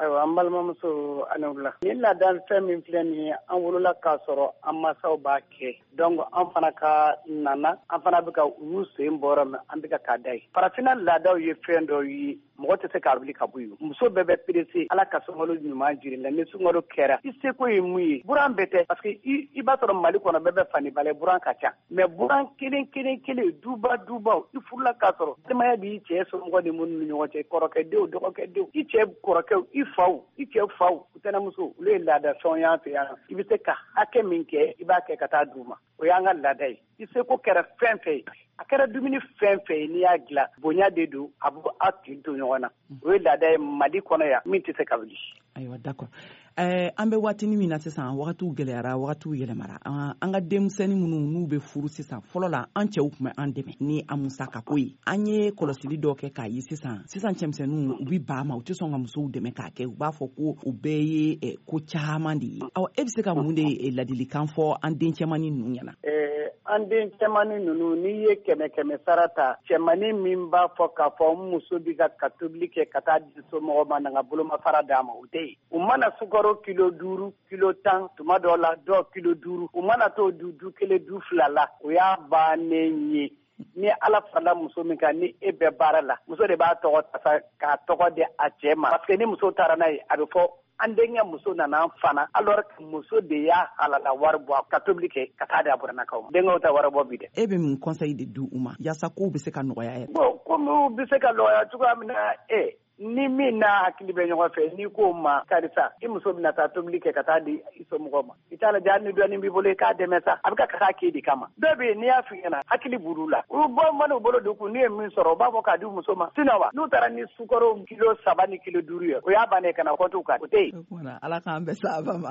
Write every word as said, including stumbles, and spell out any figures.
Ayiwa, an balimamuso, ani wula. Nin laada fɛn min filɛ nin ye, an wolola k'a sɔrɔ an masaw b'a kɛ. Donc an fana ka nana, an fana bɛ ka u y'u sen bɔra min, an bɛ ka k'a da ye. Farafinna laadaw ye fɛn dɔ ye, mɔgɔ tɛ se k'a wuli ka bɔ yen. Muso bɛɛ bɛ pressé. Ala ka sunkalo ɲuman jiri la. Ni sunkalo kɛra, i seko ye mun ye? Buran bɛɛ tɛ, parce que i b'a sɔrɔ Mali kɔnɔ, bɛɛ bɛ fani balɛ, buran ka ca, mais buran kelen kelen kelen, duba dubaw, i furula k'a sɔrɔ denbaya b'i cɛ somɔgɔ ni minnu ni ɲɔgɔn cɛ, kɔrɔkɛdenw, dɔgɔkɛdenw, i cɛ kɔrɔkɛw, i faw, i cɛ faw, tɛnɛmuso, olu ye laada fɛnw y'an fɛ yan. I bɛ se ka hakɛ min kɛ, i b'a kɛ ka taa d'u ma. O y'an ka laada ye. I seko kɛra fɛn fɛn ye, a kɛra dumuni fɛn fɛn ye, n'i y'a dilan, bonya de don, a b'o a tin to ɲɔgɔn na. O ye laada ye Mali kɔnɔ yan min tɛ se ka wuli. Ayiwa, d'accord. ɛɛ an bɛ waatini min na sisan, wagatiw gɛlɛyara, wagatiw yɛlɛmara. An ka denmisɛnnin minnu n'u bɛ furu sisan, fɔlɔ la an cɛw tun bɛ an dɛmɛ ni an musakako ye. An ye kɔlɔsili dɔ kɛ k'a ye sisan, sisan cɛmisɛnninw, u bɛ ba ma, u tɛ sɔn ka musow dɛmɛ k'a kɛ. U b'a fɔ ko o bɛɛ ye ko caman de ye. Awa, e bɛ se ka mun de ladilikan fɔ an den cɛmannin ninnu ɲɛna? An den cɛmannin ninnu, n'i ye kɛmɛ kɛmɛ sara ta, cɛmannin min b'a fɔ k'a fɔ n muso bɛ ka ka tobili kɛ ka taa di somɔgɔw ma, na n ka bolomafara d'a ma, o tɛ yen. U mana sukaro kilo duuru, kilo tan, tuma dɔw la dɔw kilo duuru, u mana t'o du du kelen, du fila la, o y'a bannen ye. Ni Ala farala muso min kan, ni e bɛ baara la, muso de b'a tɔgɔ ta k'a tɔgɔ di a cɛ ma, parce que ni muso taara n'a ye, a bɛ fɔ an denkɛ muso nana fana, alors que muso de y'a halala wari bɔ ka tobili kɛ ka taa di a buranakaw ma. Denkɛw ta wari bɔ bi dɛ. E bɛ mun conseil de di u ma yaasa kow bɛ se ka nɔgɔya yɛrɛ? Bon, komi u bɛ se ka nɔgɔya cogoya min na, e ni min n'a hakili bɛ ɲɔgɔn fɛ, n'i k'o ma: karisa, i muso bɛna taa tobili kɛ ka taa di i somɔgɔw ma, i t'a lajɛ, hali ni dɔɔnin b'i bolo, i k'a dɛmɛ sa, a bɛ ka taa k'e de kama. Dɔw bɛ yen, n'i y'a f'i ɲɛna, hakili b'olu la, u bɔ man'u bolo don kun, n'u ye min sɔrɔ, u b'a fɔ k'a di muso ma. Sinon wa, n'u taara ni sukaro kilo saba ni kilo duuru ye, o y'a bannen, ka na kɔntu kan, o tɛ yen. Ala k'an bɛɛ sababa ma.